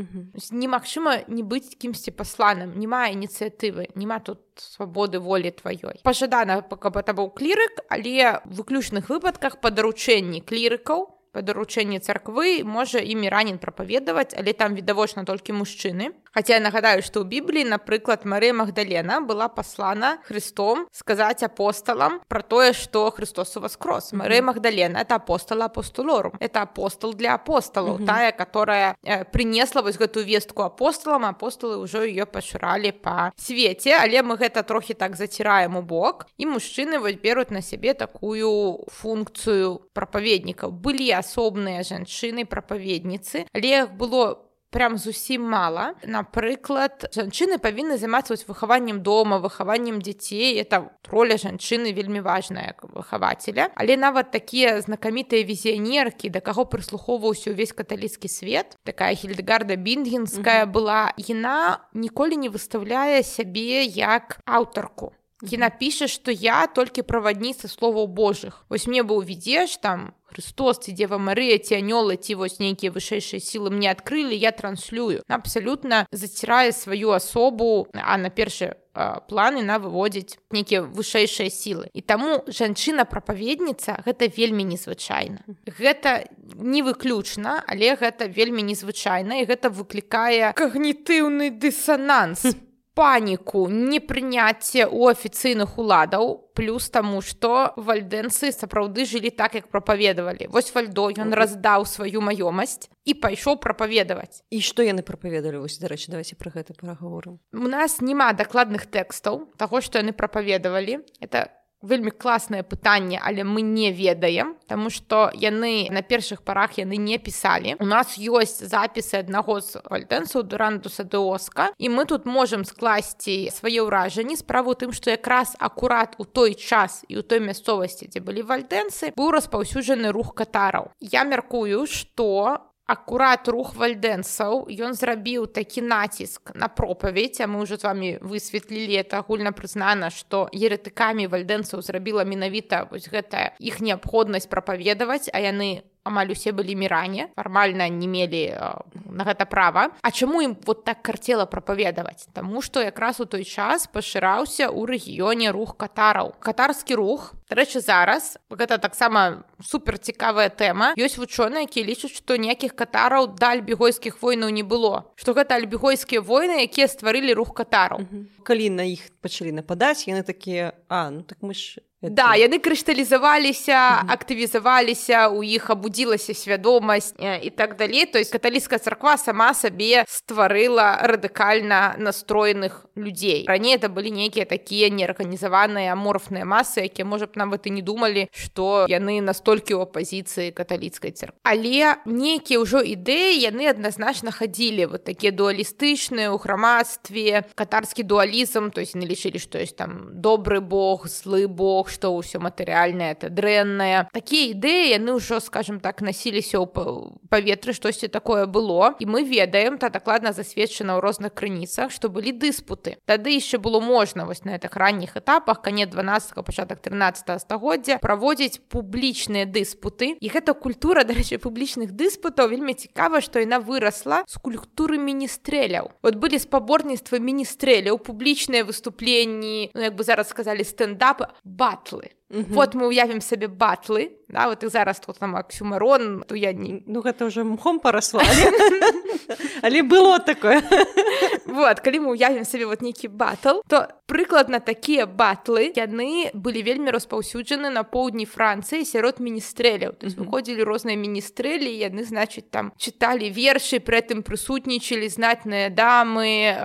немагчыма не быць кімсьці пасланым, няма ініцыятывы, няма тут свабоды волі тваёй. Пажадана, каб это быў клірык, але ў выключных выпадках па даручэнні клірыкаў, па даручэнні царквы можа імі ранен прапаведаваць, але там відавочна толькі мужчыны. Хаця я нагадаю, што ў Бібліі, напрыклад, Марыя Магдалена была паслана Христом сказаць апосталам пра тое, што Христос уваскрос. Марыя Магдалена — это апостола апостолорум. Это апостол для апостолаў, тая, которая принесла вось гэтую вестку апостолам, апостолы ўжо ее пашыралі па свеце, але мы гэта трохі так заціраем у бок, і мужчыны вось беруць на сябе такую функцыю прапаведнікаў. Былі асобныя жанчыны-прапаведніцы, але іх было прям зусім мала. Напрыклад, жанчыны павінны займацца выхаваннем дома, выхаваннем дзяцей. Это роля жанчыны вельмі важная, як выхавацеля. Але нават такія знакамітыя візіянеркі, да каго прыслухоўваўся ўвесь каталіцкі свет, такая Хільдэгарда Бінгенская была, яна ніколі не выстаўляе сябе як аўтарку. Яна піша, што я толькі правадніца словаў Божых. Вось мне быў відзеш, там, Христос, ці Дева Марыя, ці анёлы, ці вось нейкія вышэйшыя сілы мне адкрылі, я транслюю. Абсалютна зацірае сваю асобу, а на першы план яна выводзіць нейкія вышэйшыя сілы. І таму жанчына-прапаведніца — гэта вельмі незвычайна. Гэта не выключна, але гэта вельмі незвычайна, і гэта выклікае когнітыўны дысананс. Паніку, непрыняцце ў афіцыйных уладаў, плюс таму, што вальдэнцы сапраўды жылі так, як прапаведавалі. Вось Вальдо, ён раздаў сваю маёмасць і пайшоў прапаведаваць. І што яны прапаведалі? Вось, дарэчы, давайце пра гэта пагаворым. У нас няма дакладных тэкстаў таго, што яны прапаведавалі. Это вельмі класнае пытанне, але мы не ведаем, таму што яны на першых парах яны не пісалі. У нас ёсць запісы аднаго з вальдэнцаў, Дурандуса де Оска, і мы тут можам скласці свае ўражанні. Справа ў тым, што якраз акурат у той час і ў той мясцовасці, дзе былі вальдэнцы, быў распаўсюджаны рух катараў. Я мяркую, што акурат рух вальдэнцаў, ён зрабіў такі націск на пропаведь, а мы ўжо з вамі высветлілі, это агульна прызнана, што еретыкамі вальдэнцаў зрабіла менавіта вось гэтая іх неабходнасць прапаведаваць, а яны амаль усе былі міране, фармальна не мелі на гэта права. А чаму ім вот так карцела прапаведаваць? Таму што якраз у той час пашыраўся ў рэгіёне рух катараў. Катарскі рух, дарэчы, зараз, гэта таксама суперцікавая тэма, ёсць вучоныя, якія лічаць, што ніякіх катараў да альбігойскіх войнаў не было, што гэта альбігойскія войны, якія стварылі рух катараў. Калі на іх пачалі нападаць, яны такія, ну так мы ж... Да, яны крышталізаваліся, актывізаваліся, у іх абудзілася свядомасць і так далей. То есть каталіцкая царква сама сабе стварыла радыкальна настроеных людзей. Раней это былі нейкія такія неарганізаваныя аморфныя масы, якія, можа б, нават і не думалі, што яны настолькі ў апазіцыі каталіцкай царквы. Але нейкія ўжо ідэі, яны адназначна хадзілі, вот такія дуалістычныя ў грамадстве, катарскі дуалізм, то есть яны лічылі, што ёсць там добры бог, злы бог, што ўсё матэрыяльнае это дрэннае. Такія ідэі яны ўжо, скажем так, насіліся ў паветры, штосьці такое было, і мы ведаем, та дакладна засведчана ў розных крыніцах, што былі дыспуты. Тады яшчэ было можна вось на гэтых ранніх этапах, канец 12-го, пачатак 13-го стагоддзя праводзіць публічныя дыспуты. І гэта культура, дарэчы, публічных дыспутаў вельмі цікава, што яна вырасла з культуры міністрэляў. Вот былі спаборніцтвы міністрэляў, публічныя выступленні, як бы зараз сказалі, стендапы, батлы. Вот мы уявім сабе батлы, да, вот і зараз тут там аксюмарон, то я не... Ну, гэта ўжо мхом парасла, але было такое. Вот, калі мы уявім сабе вот нейкі батл, то прыкладна такія батлы, яны былі вельмі распаўсюджаны на поўдні Францыі сярод міністрэляў. То есть выходзілі розныя міністрэлі, яны, значыць, там чыталі вершы, пры гэтым прысутнічалі знатныя дамы,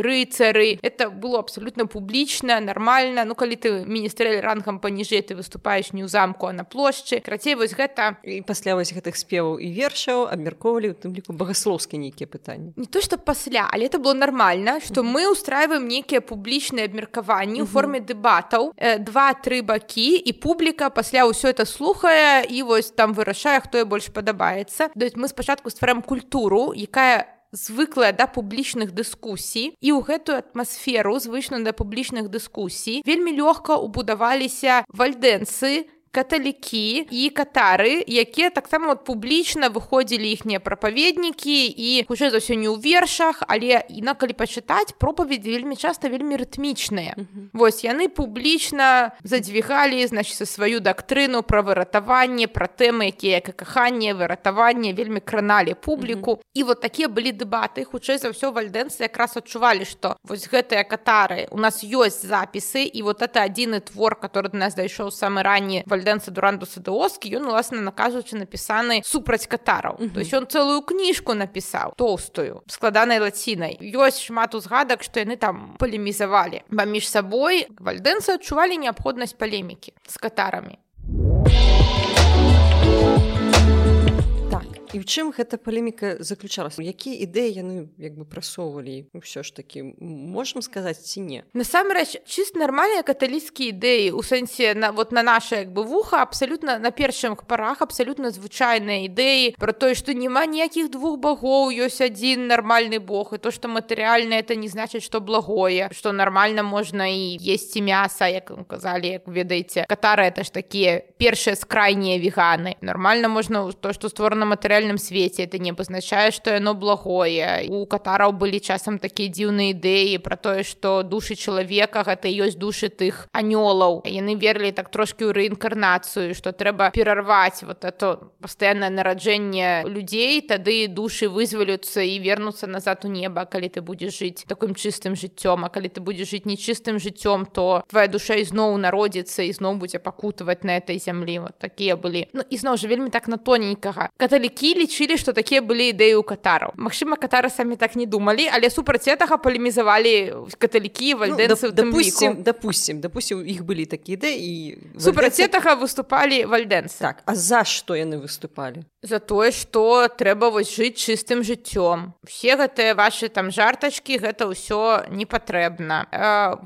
рыцары. Это было абсолютна публічна, нармальна. Ну, калі ты міністрэль рангам паніжэй, ты выступаеш не ў замку, а на плошчы. Крацей, вось гэта... І пасля вось гэтых спеваў і вершаў абмяркоўвалі, у тым ліку, багаслоўскія нейкія пытанні. Не то, што пасля, але это было нормально, што мы устраиваем нейкія публічныя абмеркаванні ў форме дэбатаў, 2-3 бакі, і публіка пасля ўсё это слухае і вось там вырашае, хто ёй больш падабаецца. То есть мы спачатку ствараем культуру, якая звыклая да публічных дыскусій, і ў гэтую атмасферу, звычную да публічных дыскусій, вельмі лёгка ўбудаваліся вальдэнцы, каталікі і катары, якія таксама вот публічна выходзілі іхнія прапаведнікі, і хутчэй за ўсё не ў вершах, але калі пачытаць, пропаведзі вельмі часта вельмі рытмічныя. Вось яны публічна задзвігалі, значыць, сваю дактрыну пра выратаванне, пра тэмы, якія як каханне, выратаванне, вельмі краналі публіку. І вот такія былі дэбаты. Хутчэй за ўсё вальдэнцы якраз адчувалі, што вось гэтыя катары, у нас ёсць запісы, і вот это адзіны твор, который до нас дайшоў самы ранні, Вальдэнца Дурандуса де Оскі, ён, уласна, накажучы, напісаны супраць катараў. То есть ён цэлую кніжку напісаў, тоўстую, складанай лацінай. Ёсць шмат узгадак, што яны там палемізавалі. Паміж сабой вальдэнцы адчувалі неабходнасць палемікі з катарамі. І ў чым гэта палеміка заключалася? Якія ідэі яны як бы прасоўвалі? Усё ж такі, можам сказаць ці не? Насамрэч, чыста нармальныя каталіцкія ідэі, у сэнсе вот на наша як бы вуха, абсалютна на першых парах абсалютна звычайныя ідэі пра тое, што няма ніякіх двух багоў, ёсць адзін нармальны бог, і то, што матэрыяльна, это не значыць, што благое, што нармальна можна і есці мяса, як казалі, як ведаеце. Катары это ж такія першыя скрайнія веганы. Нармальна можна то, што створана матэрыяльна свеце, это не абазначае, што яно благое. У катараў былі часам такія дзіўныя ідэі пра тое, што душы чалавека гэта ёсць душы тых анёлаў. Яны верылі так трошкі ў рэінкарнацыю, што трэба перарваць вот это пастаяннае нараджэнне людзей, тады душы вызваляцца і вернуцца назад у неба, калі ты будзеш жыць такім чыстым жыццём, а калі ты будзеш жыць нечыстым жыццём, то твая душа ізноў народзіцца і зноў будзе пакутаваць на этой зямлі. Вот такія былі. Ну, і зноў жа вельмі так на тоненькага. Каталікі лічылі, што такія былі ідэі ў катараў. Магчыма, катары самі так не думалі, але супраць гэтага палемізавалі каталікі, вальдэнцы ў тым ліку. Допустим, іх былі такія ідэі, і супраць гэтага выступалі вальдэнцы. Так, а за што яны выступалі? за тое, што трэба вось жыць чыстым жыццём. Усе гэтыя вашы там жартачкі, гэта ўсё не патрэбна.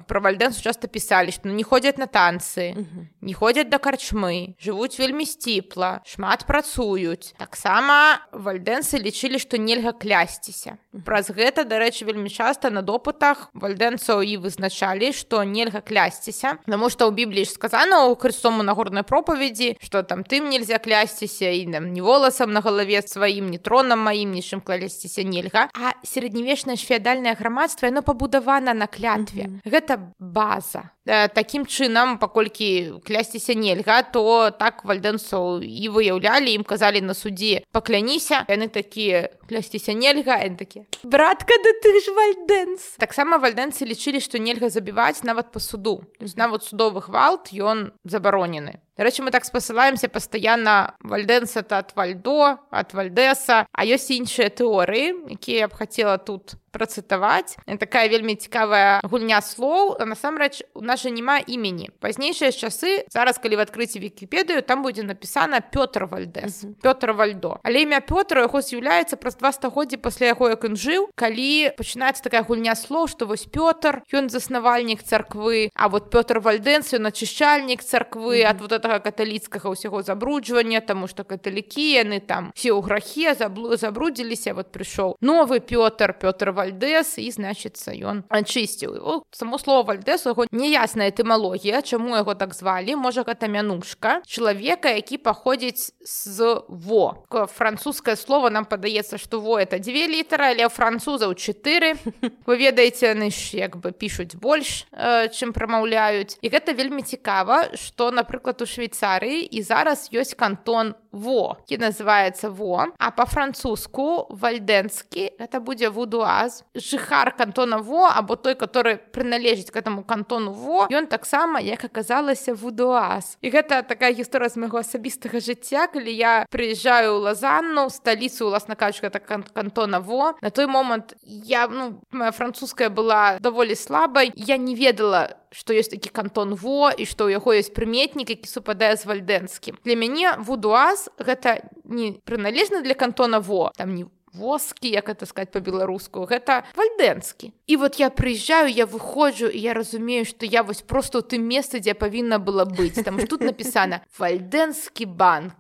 Пра вальдэнсу часта пісалі, што не ходзяць на танцы, не ходзяць да карчмы, жывуць вельмі сціпла, шмат працуюць. Таксама вальдэнсы лічылі, што нельга клясціся. Праз гэта, дарэчы, вельмі часта на допытах вальдэнцаў і вызначалі, што нельга клясціся, таму што ў Бібліі ж сказана ў Христому Нагорнай пропаведзі, што там тым нельзя клясціся, і там ні воласам на галаве сваім, ні тронам маім, нічым клясціся нельга. А сярэднявечнае ж феадальнае грамадства, яно пабудавана на клятве. Гэта база. Такім чынам, паколькі клясціся нельга, то так вальдэнцаў і выяўлялі, ім казалі на судзе: пакляніся, яны такія: клясціся нельга, яны такія: братка, да ты ж вальдэнс. Таксама вальдэнцы лічылі, што нельга забіваць нават па суду. То есть нават судовы гвалт, ён забаронены. Дарэчы, мы так спасылаемся пастаянна: вальдэнс — это ад вальдо, ад вальдэса, а ёсць іншыя тэорыі, якія я б хацела тут працытаваць. Такая вельмі цікавая гульня слоў. Насамрэч, у нас жа няма імені. Пазнейшыя часы, зараз, калі вы адкрыце Вікіпедыю, там будзе напісана Пётр Вальдэс, Пётр Вальдо. Але імя Пётра яго з'яўляецца праз 2 стагоддзі пасля яго, як ён жыў, калі пачынаецца такая гульня слоў, што вось Пётр, ён заснавальнік царквы, а вот Пётр Вальдэнс, ён ачышчальнік царквы ад вот гэтага каталіцкага ўсяго забруджвання, таму што каталікі, яны там все ў грахе забрудзіліся. Вот прыйшоў новы Пётр, Пётр Вальдэс, і, значыцца, ён ачысціў. Само слово Вальдэс, у яго няясная этымалогія, чаму яго так звалі. Можа, гэта мянушка чалавека, які паходзіць з во. Французскае слово, нам падаецца, што во — это 2 літары, але ў французаў 4. Вы ведаеце, яны ж як бы пішуць больш, чым прамаўляюць. І гэта вельмі цікава, што, напрыклад, у Швейцарыі і зараз ёсць кантон Во, які называецца Во, а па-французску вальдэнскі гэта будзе вудуаз. Жыхар кантона Во, або той, который прыналежыць к этому кантону Во, ён таксама, як аказалася, вудуаз. І гэта такая гісторыя з майго асабістага жыцця, калі я прыязджаю ў Лазанну, сталіцу, уласна кажучы, гэта кантона Во. На той момант моя французская была даволі слабай, я не ведала, што ёсць такі кантон Во і што ў яго ёсць прыметнік, які супадае з вальдэнскім. Для мяне вудуаз гэта не прыналежны для кантона Во, там не воскі, як это сказаць па-беларуску, гэта вальдэнскі. І вот я прыязджаю, я выходжу, і я разумею, што я вось проста ў тым месцы, дзе павінна была быць. Там ж тут напісана вальдэнскі банк,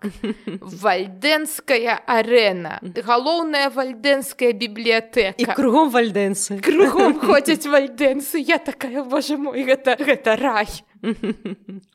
вальдэнская арэна, галоўная вальдэнская бібліятэка. І кругом вальдэнсы. Кругом ходзяць вальдэнсы. Я такая: боже мой, гэта рай.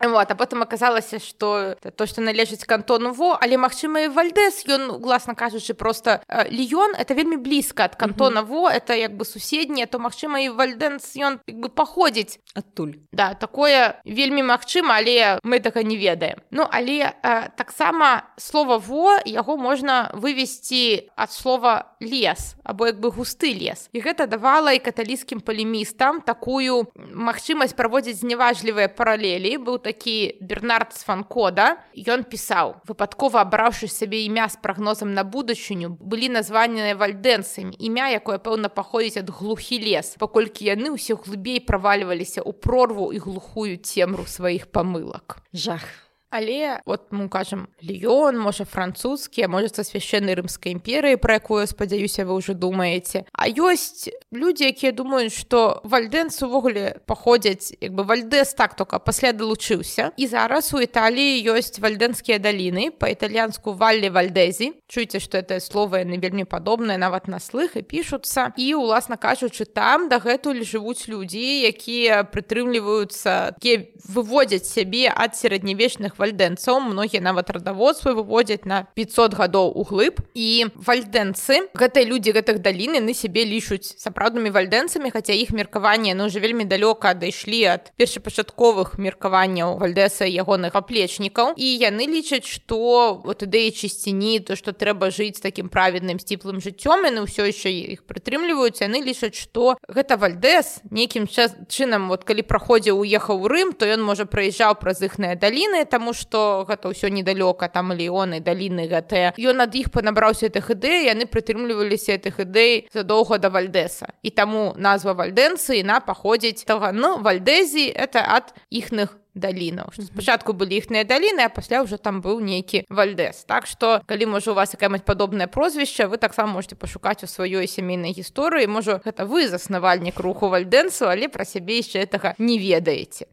Вот, а потым аказалася, што то, што належыць кантону Во, але, магчыма, і Вальдэс, ён, уласна кажучы, проста Ліён, это вельмі блізка ад кантона Во, это як бы суседняе, то, магчыма, і Вальдэнс, ён як бы паходзіць адтуль. Да, такое вельмі магчыма, але мы така не ведаем. Але таксама слова Во, яго можна вывесці ад слова лес, або як бы густы лес. І гэта давала і каталіцкім палемістам такую магчымасць праводзіць зневажлівыя паралелі. Быў такі Бернард Сванкода, ён пісаў: выпадкова абраўшы сабе імя з прагнозам на будучыню, былі названыя вальдэнцамі, імя, якое, пэўна, паходзіць ад глухі лес, паколькі яны ўсе глыбей правальваліся ў прорву і глухую цемру сваіх памылак. Жах. Але, вот мы кажам, Ліён, можа, французскі, а можа, са свяшчэннай рымскай імперыі, пра якую, спадзяюся, вы ўжо думаеце. А ёсць людзі, якія думаюць, што вальдэнцы ўвогуле паходзяць, як бы Вальдэс так тока пасля далучыўся. І зараз у Італіі ёсць вальдэнскія даліны, па-італьянску Валле Вальдэзі. Чуеце, што гэтае слово, яны вельмі падобныя нават на слых і пішуцца. І, уласна кажучы, там дагэтуль жывуць людзі, якія прытрымліваюцца, якія выводзяць сябе ад сярэднявечных вальдэнцаў, многія нават радаводствы выводзяць на 500 гадоў углыб. І вальдэнцы, гэтыя людзі гэтых далін, яны сябе лічуць сапраўднымі вальдэнцамі, хаця іх меркаванне ўжо вельмі далёка адышлі ад першапачатковых меркаванняў Вальдэса і ягоных аплечнікаў. І яны лічаць, што вот ідэі чысціні, то, што трэба жыць такім праведным сціплым жыццём, яны ўсё яшчэ іх прытрымліваюць, яны лічаць, што гэта Вальдэс нейкім чынам, вот калі праходзіў, уехаў у Рым, то ён, можа, праязджаў праз іхныя даліны, таму што гэта ўсё недалёка, там Ліёны, даліны гэтыя. Ён ад іх панабраўся гэтых ідэй, яны прытрымліваліся гэтых ідэй задоўга да Вальдэса. І таму назва вальдэнцы, яна паходзіць Вальдэзі, это ад іхных далінаў. Спачатку былі іхныя даліны, а пасля ўжо там быў нейкі Вальдэс. Так што, калі, можа, у вас якая-нибудь падобнае прозвішча, вы таксама можете пашукаць у сваёй сямейнай гісторыі. Можа, гэта вы заснавальнік руху вальдэнсу, але пра сябе яшчэ гэтага не ведаеце.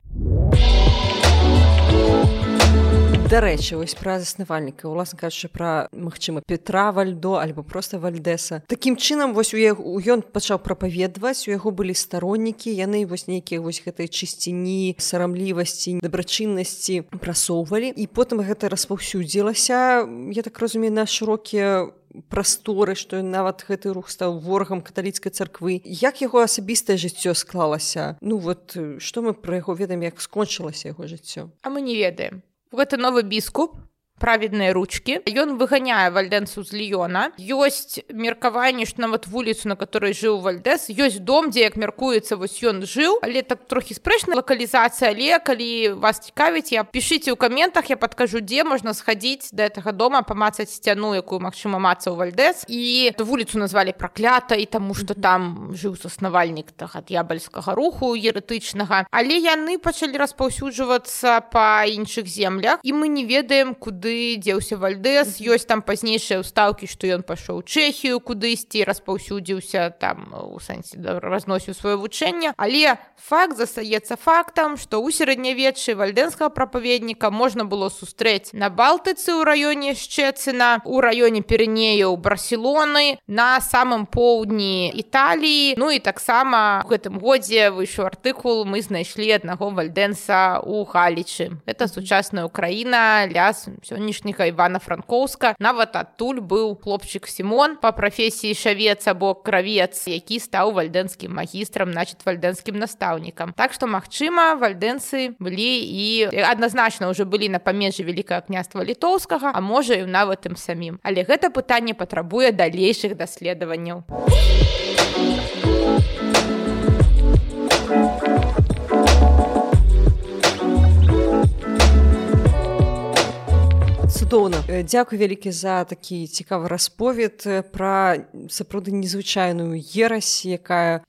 Дарэчы, вось пра заснавальніка, уласна кажучы, пра, магчыма, Петра Вальдо альбо проста Вальдэса. Такім чынам, вось ён пачаў прапаведаваць, у яго былі староннікі, яны вось нейкія вось гэтай чысціні, сарамлівасці, дабрачыннасці прасоўвалі, і потым гэта распаўсюдзілася, я так разумею, на шырокія прасторы, што нават гэты рух стаў ворагам каталіцкай царквы. Як яго асабістае жыццё склалася? Ну вот, што мы пра яго ведаем, як скончылася яго жыццё? А мы не ведаем. Гэта новы біскуп, праведныя ручкі. Ён выганяе Вальдэнсу з Ліёна. Ёсць меркаванне, што нават вуліцу, на которой жыў Вальдэс, ёсць дом, дзе, як мяркуецца, вось ён жыў, але так трохі спрэчная лакалізацыя, але калі вас цікавіць, пішыце ў каментах, я падкажу, дзе можна схадзіць да гэтага дома, памацаць сцяну, якую, магчыма, мацаў Вальдэс. І эту вуліцу назвалі праклятай, таму што там жыў заснавальнік д'ябальскага руху еретычнага. Але яны пачалі распаўсюджвацца па іншых землях, і мы не ведаем, куды дзеўся Вальдэс. Ёсць там пазнейшыя ўстаўкі, што ён пашоў у Чэхію кудысьці, распаўсюдзіўся там, у сэнсе, разносіў сваё вучэнне. Але факт застаецца фактам, што ў сярэднявеччы вальдэнскага прапаведніка можна было сустрэць на Балтыцы ў раёне Шчэцына, у раёне Пірэнеяў Барселоны, на самым поўдні Італіі. Ну і таксама у гэтым годзе выйшаў артыкул, мы знайшлі аднаго вальдэнса ў Галічы. Гэта сучасная Украіна, ляс сённяшняга Івана-Франкоўска. Нават адтуль быў хлопчык Сімон, па прафесіі шавец або кравец, які стаў вальдэнскім магістрам, значит, вальдэнскім настаўнікам. Так што, магчыма, вальдэнцы былі і адназначна ўжо былі на памежжы Вялікага княства Літоўскага, а можа і нават ім самім. Але гэта пытанне патрабуе далейшых даследаванняў. Цудоўна. Дзякуй вялікі за такі цікавы расповед пра сапраўды незвычайную ерась, якая,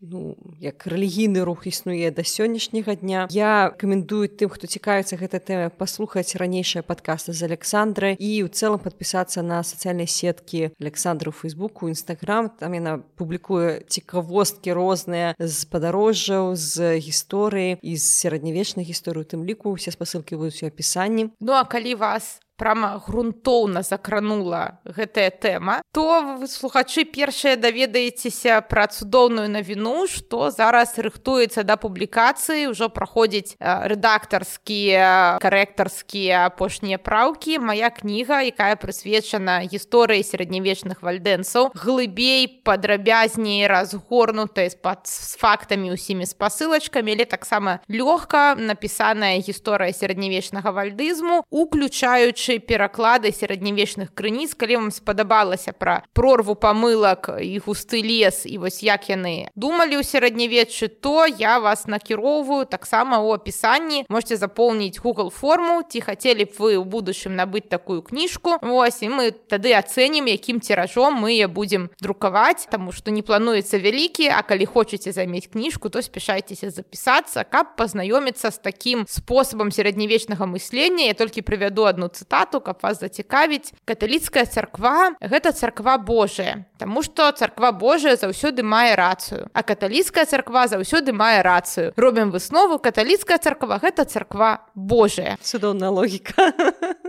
як рэлігійны рух існуе да сённяшняга дня. Я рэкамендую тым, хто цікавіцца гэтай тэмай, паслухаць ранейшыя падкасты з Александрай і ў цэлым падпісацца на сацыяльныя сеткі Александры ў Фейсбуку, Інстаграм. Там яна публікуе цікавосткі розныя з падарожжаў, з гісторыі і з сярэднявечнай гісторыі, у тым ліку усе спасылкі будуць у апісанні. Ну а калі вас прама грунтоўна закранула гэтая тэма, то вы, слухачы, першыя даведаецеся пра цудоўную навіну, што зараз рыхтуецца да публікацыі, ўжо праходзіць рэдактарскія, карэктарскія апошнія праўкі. Мая кніга, якая прысвечана гісторыі сярэднявечных вальдэнсаў, глыбей, падрабязней, разгорнутай з фактамі, усімі спасылачкамі, але таксама лёгка напісаная гісторыя сярэднявечнага вальдызму, уключаючы пераклады сярэднявечных крыніц. Калі вам спадабалася пра прорву памылак і густы лес, і вось як яны думалі ў сярэднявеччы, то я вас накіроўваю таксама ў апісанні. Можете запоўніць Google форму, ці хацелі б вы ў будучым набыць такую кніжку. Вось, і мы тады ацэнім, якім тиражом мы яе будзем друкаваць, таму што не плануецца вялікі, а калі хочаце замець кніжку, то спяшайцеся запісацца, каб пазнаёміцца з такім спосабам сярэднявечнага мыслення. Я толькі прывяду адну цытату, каб вас зацікавіць. Каталіцкая царква – гэта царква Божая, таму што царква Божая заўсёды мае рацыю, а каталіцкая царква заўсёды мае рацыю. Робім выснову, каталіцкая царква – гэта царква Божая. Цудоўная логіка.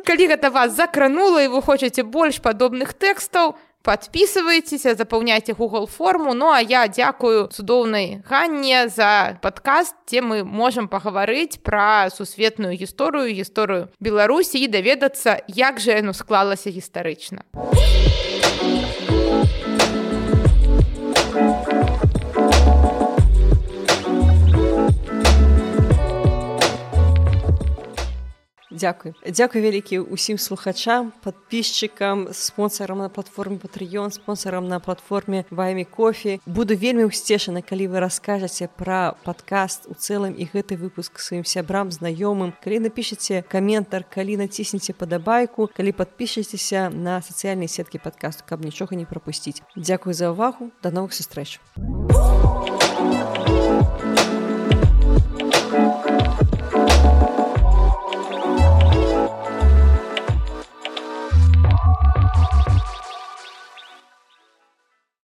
Калі гэта вас закранула і вы хочаце больш падобных тэкстаў, подписывайтеся, запаўняйте Google форму. Ну а я дзякую цудоўнай Ганне за падкаст, дзе мы можам пагаварыць пра сусветную гісторыю Беларусі і даведацца, як жа яно склалася гістарычна. Дзякуй вялікі ўсім слухачам, падпісчыкам, спонсарам на платформе Patreon, спонсарам на платформе Buy Me Coffee. Буду вельмі ўсцешана, калі вы раскажаце пра падкаст у цэлым і гэты выпуск сваім сябрам, знаёмым. Калі напішаце каментар, калі націснеце падабайку, калі падпішацеся на сацыяльныя сеткі падкасту, каб нічога не прапусціць. Дзякуй за ўвагу, да новых сустрэч.